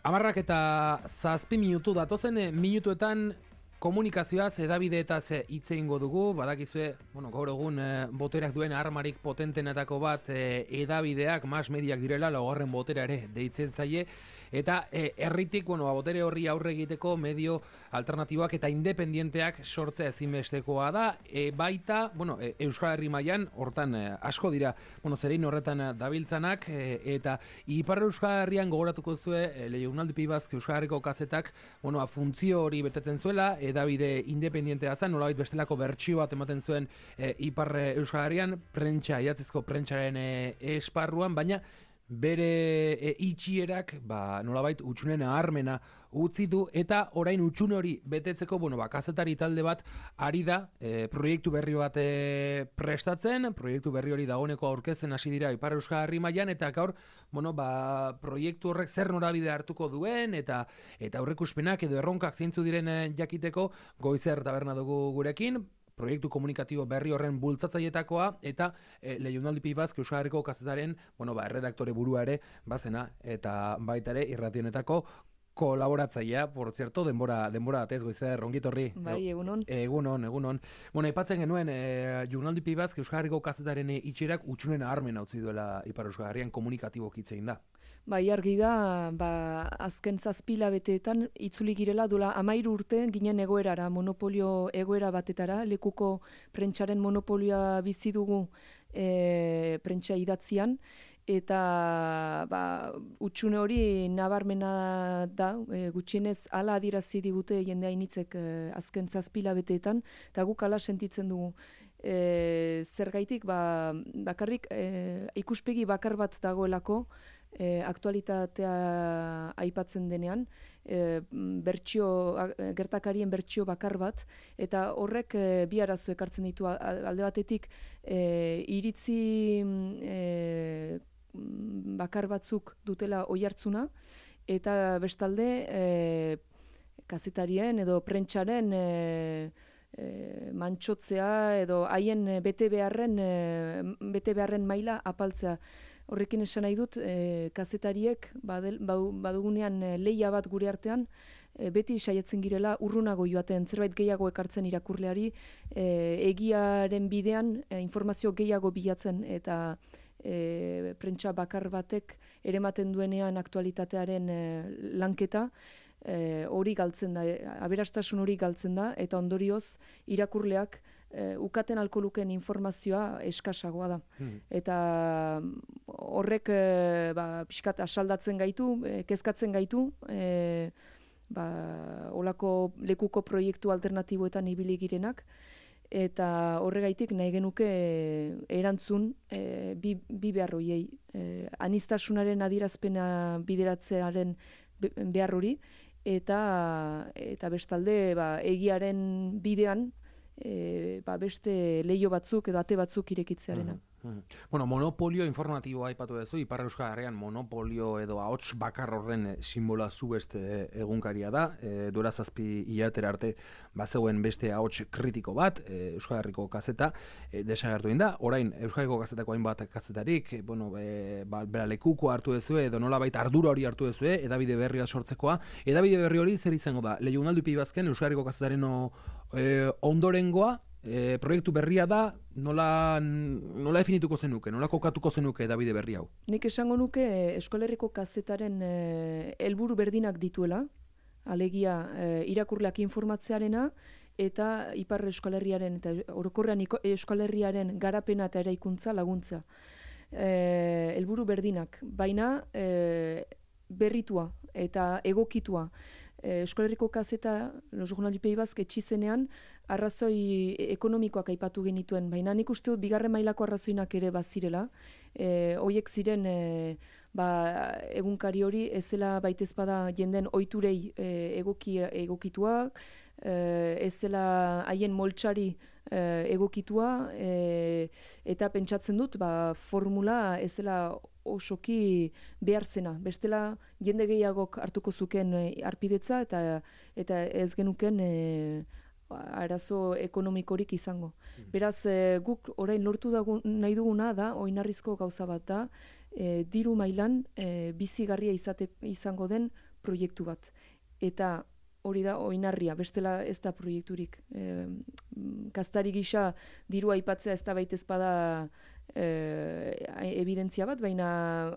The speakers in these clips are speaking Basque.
17 datozen minutuetan komunikazioaz, edabideetaz hitz egingo dugu. Badakizue, gaur egun boterak duen armarik potentenetako bat edabideak, mass mediak direla, laugarren botera ere deitzen zaie, eta herritik, botere horri aurre egiteko medio alternatiboak eta independienteak sortzea ezinbestekoa da. Baita, Euskal Herri mailan hortan asko dira, zerein horretan dabiltzanak, eta Ipar Euskal Herrian gogoratuko zue, Leionaldi Pibazk Euskal Herriko kazetak, funtzio hori betetzen zuela, edabide independientea zen, nolabait bestelako bertsio bat ematen zuen Ipar Euskal Herrian, idatzizko prentsaren esparruan, baina bere itxierak nolabait utxunen aharmena utzi du, eta orain utxune hori betetzeko, kazetari talde bat ari da proiektu berri bat prestatzen, proiektu berri hori dagoeneko aurkezten hasi dira Ipar Euskal Herri mailan, eta gaur, proiektu horrek zer norabide hartuko duen, eta aurreikuspenak edo erronkak zeintzu diren jakiteko, Goizer taberna dugu gurekin, proiektu komunikatibo berri horren bultzatzaietakoa, eta Leionaldi Pibazk Euskal Herriko kazetaren, erredaktore burua ere bazena, eta baita ere irrationetako kolaboratzailea, por cierto, denbora atez, Goizer, ongitorri. Bai, egunon. Egunon. Aipatzen genuen, Leionaldi Pibazk Euskal Herriko kazetaren itxierak utxunen aharmena utzi duela Ipar Euskal Herrian komunikatibo hitzein da. Bai, argi da, azken 7 hilabeteetan itzuli girela duela 13 urte ginen egoerara, monopolio egoera batetara, lekuko prentsaren monopolioa bizi dugu prentsa idatzian, eta utxune hori nabarmena da, gutxienez hala adierazi digute jende hainitzek azken 7 hilabeteetan, eta guk hala sentitzen dugu. Zergaitik, bakarrik ikuspegi bakar bat dagoelako, aktualitatea aipatzen denean, gertakarien bertsio bakar bat, eta horrek bi arazo ekartzen ditu. Alde batetik iritzi bakar batzuk dutela oihartzuna, eta bestalde kazetarien edo prentsaren mantxotzea edo haien bete beharren maila apaltzea. Horrekin esan nahi dut, kazetariek badugunean lehia bat gure artean, beti saiatzen girela urrunago joaten, zerbait gehiago ekartzen irakurleari, egiaren bidean informazio gehiago bilatzen, eta prentsa bakar batek erematen duenean aktualitatearen lanketa, hori galtzen da, aberastasun hori galtzen da, eta ondorioz irakurleak ukaten alko lukeen informazioa eskasagoa da. Eta horrek pixkat asaldatzen gaitu, kezkatzen gaitu, olako lekuko proiektu alternatiboetan ibili girenak, eta horregaitik nahi genuke erantzun bi behar horiei. Aniztasunaren adierazpena bideratzearen behar hori, eta bestalde egiaren bidean beste leiho batzuk edo ate batzuk irekitzearena. Monopolio informatiboa aipatu duzu, Ipar Euskal Herrian monopolio edo ahots bakar horren sinbola zu beste egunkaria da, duela 7 hilatera arte bazegoen beste ahots kritiko bat, Euskal Herriko kazeta, desagertu da. Orain Euskal Herriko kazetako hainbat kazetarik, bera lekuko hartu duzue, edo nolabait ardura hori hartu duzue, edabide berria sortzekoa. Edabide berri hori zer izango da? Leionaldi Pibazken Euskal Herriko kazetaren ondorengoa, proiektu berria da, nola definituko zenuke, nola kokatuko zenuke edabide berri hau? Nik esango nuke Euskal Herriko kazetaren helburu berdinak dituela, alegia irakurleak informatzearena, eta Ipar Euskal Herriaren, eta orokorrean Euskal Herriaren garapena eta eraikuntza laguntza. Helburu berdinak, baina berritua eta egokitua. Euskal Herriko kazeta, Leionaldi Pibazk etxizenean, arrazoi ekonomikoak aipatu genituen, baina nik uste dut bigarren mailako arrazoinak ere bazirela. Hoiek ziren egunkari hori ezela baitezpada jenden ohiturei egokituak, ezela haien moltsari egokitua, eta pentsatzen dut formula ezela osoki behar zena. Bestela jende gehiagok hartuko zuken arpidetza eta ez genuken arazo ekonomikorik izango. Beraz, guk orain lortu nahi duguna da, oinarrizko gauza bat da, diru mailan bizigarria izango den proiektu bat. Eta hori da oinarria, bestela ez da proiekturik. Kaztari gisa dirua aipatzea ez da baitez bada evidentzia bat, baina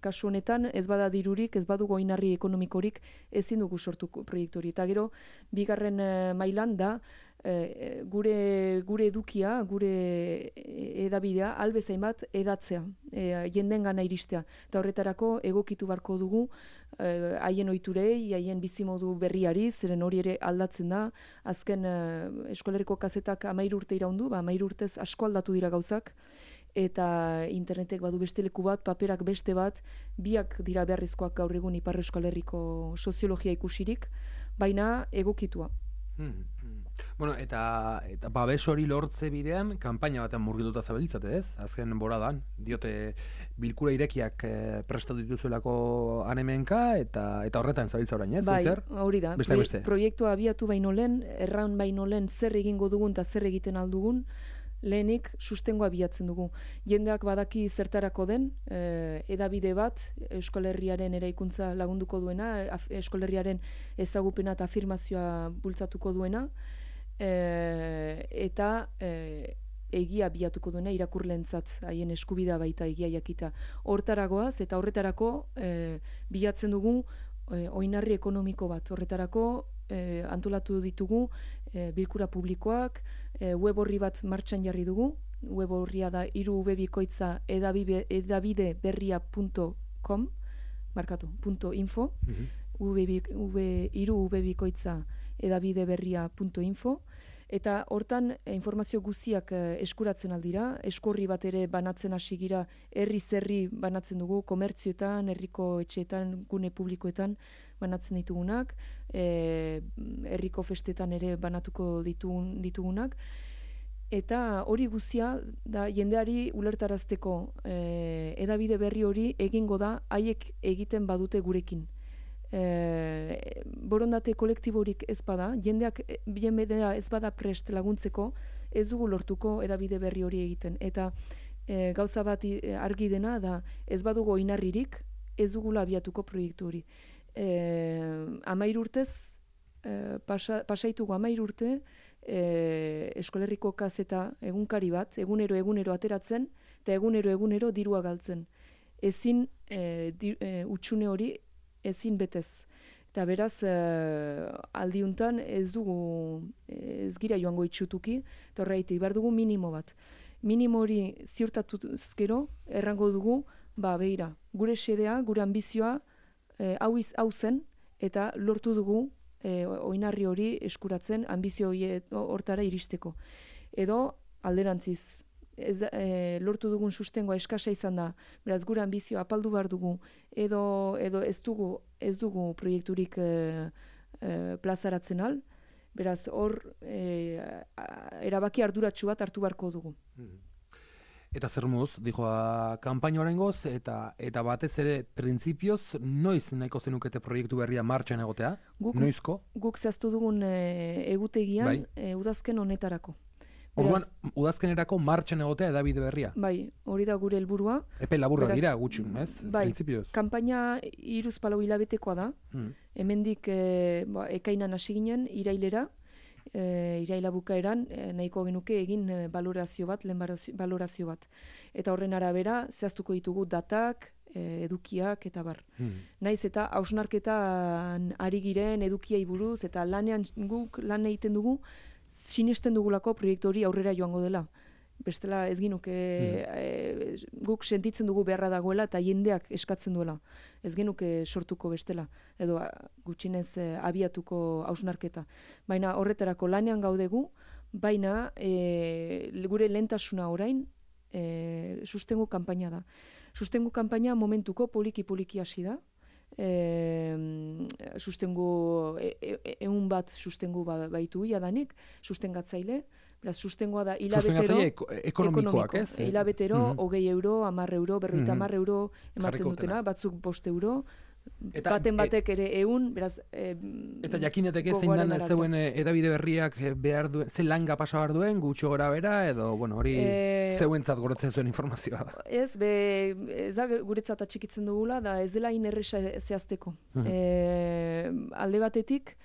kasu honetan ez bada dirurik, ez badugu oinarri ekonomikorik, ezin dugu sortu proiektu hori. Eta gero, bigarren mailan da, gure edukia, gure edabidea, albezain bat edatzea, jenden gana iristea. Eta horretarako egokitu barko dugu haien ohiturei, haien bizimodu berriari, zeren hori ere aldatzen da. Azken Eskolerriko kazetak 13 urte iraundu, 13 urtez asko aldatu dira gauzak, eta internetek badu beste leku bat, paperak beste bat, biak dira beharrezkoak gaur egun Ipar Euskal Herriko soziologia ikusirik, baina egokitua. Bueno, eta babes hori lortze bidean, kanpaina batean murgilduta zabiltzate, ez? Azken boradan, diote bilkura irekiak prestatu dituzuelako anemenka, eta horretan zabiltza orain, ez? Bai, hori da. Beste. Proiektua abiatu baino lehen, erran baino lehen zer egingo dugun eta zer egiten aldugun, lehenik sustengoa bilatzen dugu. Jendeak badaki zertarako den, edabide bat, Euskal Herriaren eraikuntza lagunduko duena, Euskal Herriaren ezagupena eta afirmazioa bultzatuko duena, eta egia bilatuko duena irakurlentzat, haien eskubidea baita egia jakita. Hortaragoaz eta horretarako bilatzen dugu oinarri ekonomiko bat. Horretarako antolatu ditugu bilkura publikoak, web orri bat martxan jarri dugu. Web orria da edabideberria.com, markatu, .info, edabideberria.info, eta hortan informazio guztiak eskuratzen aldira, eskorri bat ere banatzen hasi gira, herri banatzen dugu, komertzioetan, herriko etxeetan, gune publikoetan banatzen ditugunak, herriko festetan ere banatuko ditugunak, eta hori guztia da jendeari ulertarazteko edabide berri hori egingo da haiek egiten badute gurekin. Borondate kolektiborik ez bada, jendeak bienbedea ez bada prest laguntzeko, ez dugu lortuko edabide berri hori egiten. Eta gauza bat argi dena da, ez badugu oinarririk, ez dugula abiatuko proiektu hori. 13 urtez, pasaitugu 13 urte, Eskolerriko kazeta egunkari bat, egunero ateratzen, eta egunero dirua galtzen. Ezin utxune hori ezin betez. Eta beraz, aldiuntan ez gira joango itxutuki, eta horreitik, behar dugu minimo bat. Minimo hori ziurtatuz gero, errango dugu, behira, gure xedea, gure ambizioa, hau zen, eta lortu dugu oinarri hori eskuratzen, ambizio hortara iristeko. Edo, alderantziz, lortu dugun sustengoa eskasa izan da, beraz gure ambizioa apaldu behar dugu, edo ez dugu proiekturik plazaratzen al, beraz hor erabaki arduratsu bat hartu beharko dugu. Eta zer muz, dijoa kanpaina oraingoz, eta batez ere printzipioz, noiz nahiko zenukete proiektu berria martxan egotea? Noizko? Guk zehaztu dugun egutegian, udazken honetarako. Orduan, udazkenerako martxan egotea edabide berria? Bai, hori da gure helburua. Epe laburra dira gutxun, ez? Bai, printzipioz. Kanpaina 3-4 hilabetekoa da. Hemendik ekainan hasi ginen, irailera. Iraila bukaeran nahiko genuke egin balorazio bat, lehen balorazio bat. Eta horren arabera, zehaztuko ditugu datak, edukiak eta bar. Naiz eta hausnarketan ari giren edukiai buruz, eta lanean guk lan egiten dugu, sinesten dugulako proiektu hori aurrera joango dela. Bestela ez ginuke guk sentitzen dugu beharra dagoela eta jendeak eskatzen duela. Ez genuke sortuko bestela, edo gutxinez abiatuko hausnarketa. Baina horretarako lanean gaudegu, baina gure lehentasuna orain sustengu kanpaina da. Sustengu kanpaina momentuko poliki hasi da. Sustengu, 100 bat sustengu baitu jadanik, sustengatzaile. Beraz, sustengoa da hilabetero, ekonomikoak, ez? Hilabetero, 20 euro, 10 euro, 50 euro ematen dutena, batzuk 5 euro, baten batek ere 100, beraz... Eta jakineteke zein dan zeuen edabide berriak behar duen, ze langa pasa behar duen, gutxo gora bera, edo, bueno, hori zeuentzat gorotzen zuen informazioa da. Ez da guretzat atxikitzen dugula, da ez dela inerresa zehazteko. Alde batetik,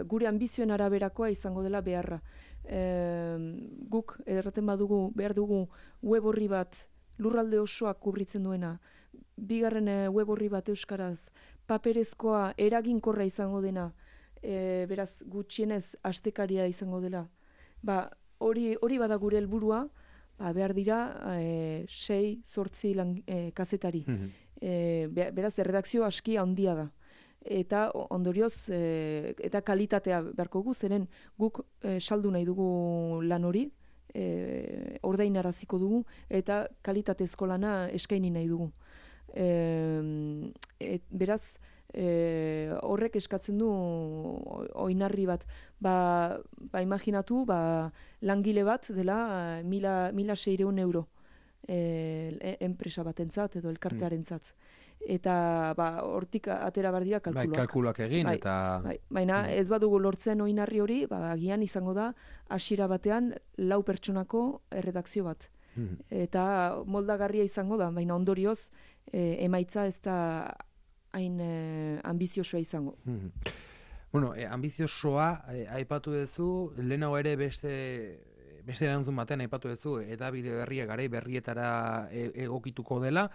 gure ambizioen araberakoa izango dela beharra. Guk erraten badugu, behar dugu web horri bat lurralde osoak kubritzen duena, bigarren web horri bat euskaraz, paperezkoa eraginkorra izango dena, beraz gutxienez astekaria izango dela. Hori bada gure helburua, behar dira 6-8 kazetari. Beraz erredakzio aski handia da. Eta ondorioz, eta kalitatea beharko gu, zeren guk saldu nahi dugu lan hori, ordainaraziko dugu, eta kalitatezko lana eskaini nahi dugu. Beraz, horrek eskatzen du oinarri bat. Imaginatu, langile bat dela 1.600 euro enpresa batentzat edo elkartearentzat. Eta hortik atera behar dira kalkuloak. Kalkuloak egin, eta... Baina ez badugu lortzen oinarri hori, agian izango da hasiera batean 4 pertsonako erredakzio bat. Eta moldagarria izango da, baina ondorioz emaitza ez da hain ambiziosoa izango. Bueno, ambiziosoa aipatu duzu, lehenago ere beste erantzun batean aipatu duzu, edabide berria garai berrietara egokituko dela.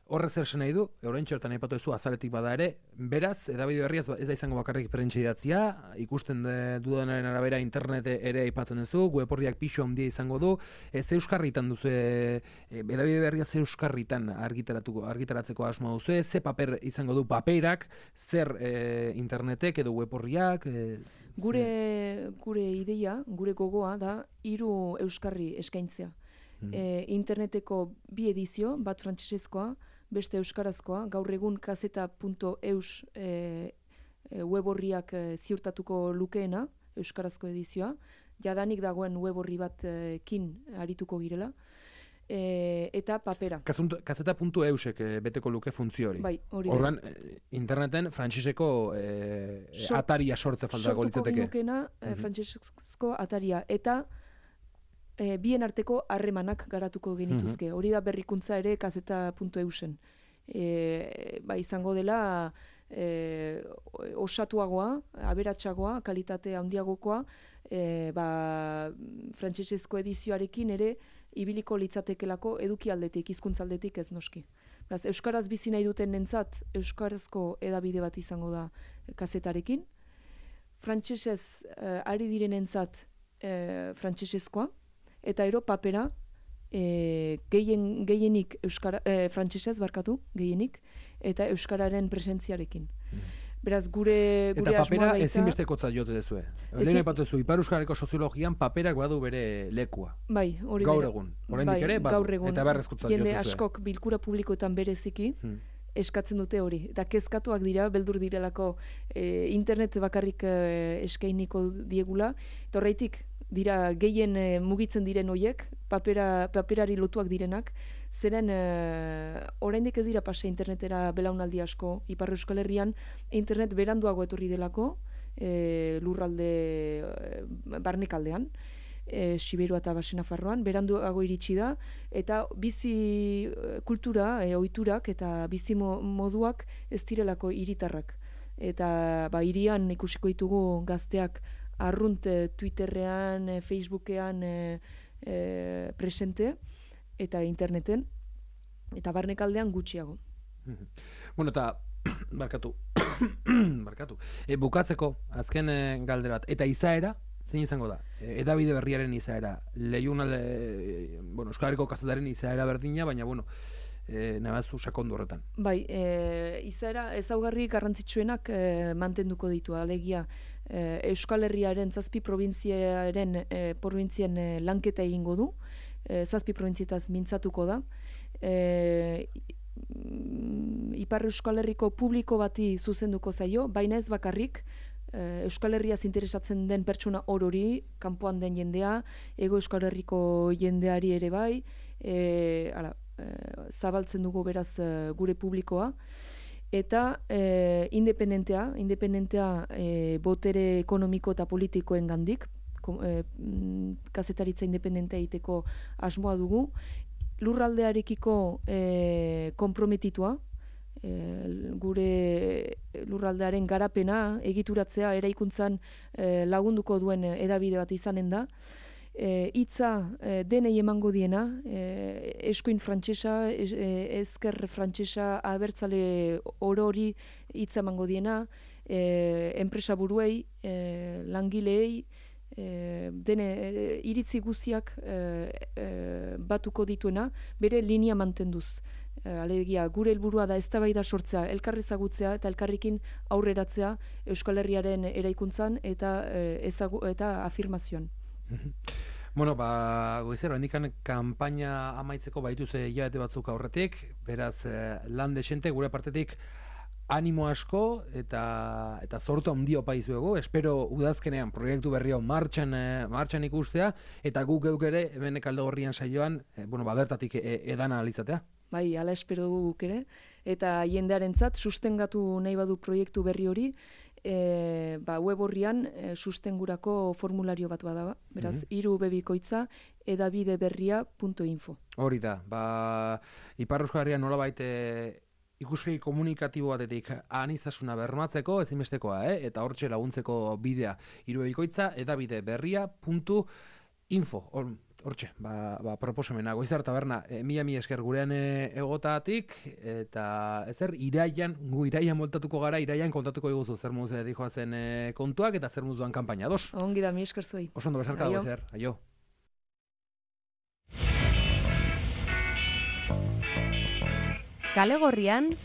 Horrek zer esan nahi du, oraintxe hortan aipatu duzu azaletik bada ere, beraz, edabide berria ez da izango bakarrik prentsa idatzia, ikusten dudanaren arabera internet ere aipatzen duzu, web orriak pixo handia izango du, ze euskarritan duzu, edabide berria ze euskarritan argitaratzeko asmoa duzu, ze paper izango du paperak, zer internetek edo web orriak... Gure ideia, gure gogoa da 3 euskarri eskaintzea. Interneteko 2 edizio, bat frantsesezkoa, beste euskarazkoa, gaur egun kazeta.eus web orriak ziurtatuko lukeena, euskarazko edizioa, jadanik dagoen web orri batkin arituko girela, eta papera. Kazeta.eusek beteko luke funtzio hori. Bai, hori. Horren, interneten frantseseko ataria sortze faltako litzateke. Sortuko ginukena frantsesezko ataria, eta bien arteko harremanak garatuko genituzke. Hori da berrikuntza ere kazeta.eusen. Izango dela osatuagoa, aberatsagoa, kalitate handiagokoa, frantsesezko edizioarekin ere ibiliko litzatekelako eduki aldetik, hizkuntza aldetik ez noski. Euskaraz bizi nahi duten nentzat, euskarazko edabide bat izango da kazetarekin. Frantsesez ari direnentzat frantsesezkoa, eta ero papera gehienik frantsesez barkatu, gehienik, eta euskararen presentziarekin. Beraz, gure eta papera ezinbestekotzat jote dezue. Lehen aipatu duzu, Ipar Euskarriko soziologian paperak badu bere lekua. Bai, hori gaur egun. Oraindik ere, eta beharrezkotzat jote dezue. Jende askok bilkura publikoetan bereziki, eskatzen dute hori. Eta kezkatuak dira, beldur direlako internet bakarrik eskainiko diegula. Eta horreitik, dira gehien mugitzen diren hoiek, paperari lotuak direnak, zeren oraindik ez dira pasa internetera belaunaldi asko. Ipar Euskal Herrian internet beranduago etorri delako, lurralde barnekaldean, Siberua eta Baxe Nafarroan, beranduago iritsi da, eta bizi kultura, ohiturak eta bizi moduak ez direlako hiritarrak. Eta hirian ikusiko ditugu gazteak arrunt Twitterrean, Facebookean presente, eta interneten, eta barnekaldean gutxiago. Bueno, eta barkatu. Bukatzeko, azken galdera bat, eta izaera, zein izango da? Edabide berriaren izaera, Euskal Herriko kazetaren izaera berdina, baina, nabazu sakondu horretan. Bai, izaera ezaugarri garrantzitsuenak mantenduko ditu, alegia Euskal Herriaren 7 provintzien lanketa egingo du, 7 provintzietaz mintzatuko da, Ipar Euskal Herriko publiko bati zuzenduko zaio, baina ez bakarrik, Euskal Herriaz interesatzen den pertsona orori, kanpoan den jendea, Hego Euskal Herriko jendeari ere bai, zabaltzen dugu beraz gure publikoa, eta independentea botere ekonomiko eta politikoen gandik, kazetaritza independentea egiteko asmoa dugu, lurraldearekiko konprometitua, gure lurraldearen garapena egituratzea eraikuntzan lagunduko duen hedabide bat izanen da. Hitza denei emango diena, eskuin frantsesa, ezker frantsesa, abertzale orori hitza emango diena, enpresa buruei, langileei, dene iritzi guztiak batuko dituena, bere linea mantenduz. Alegia, gure helburua da eztabaida sortzea, elkar ezagutzea eta elkarrekin aurreratzea Euskal Herriaren eraikuntzan eta afirmazioan. Bueno, Goizero, hendikan kanpaina amaitzeko baituz hilabete batzuk aurretik, beraz lan desente gure partetik animo asko eta zortu handia opa izuegu. Espero udazkenean proiektu berri hau martxan ikustea eta guk ere hemen Kaldegorrian saioan bertatik edan analizatea. Bai, hala espero dugu guk ere, eta jendearentzat sustengatu nahi badu proiektu berri hori, web horrian sustengurako formulario bat bada, beraz, 3 bebikoitza edabideberria.info. Hori da, Ipar Euskal Herrian nolabait ikuspegi komunikatibo batetik aniztasuna bermatzeko ezinbestekoa, eta hortxe laguntzeko bidea 3 bebikoitza edabideberria.info. Hortxe, proposamena, Goizar Taberna, mila esker gurean egotatik, eta iraian moltatuko gara, iraian kontatuko iguzu zer muz dijoazen kontuak, eta zer muz duan kanpaina, dos? Ongi da, mi esker zoi. Osondo, besarka, Goizar, aio. Kale Gorrian,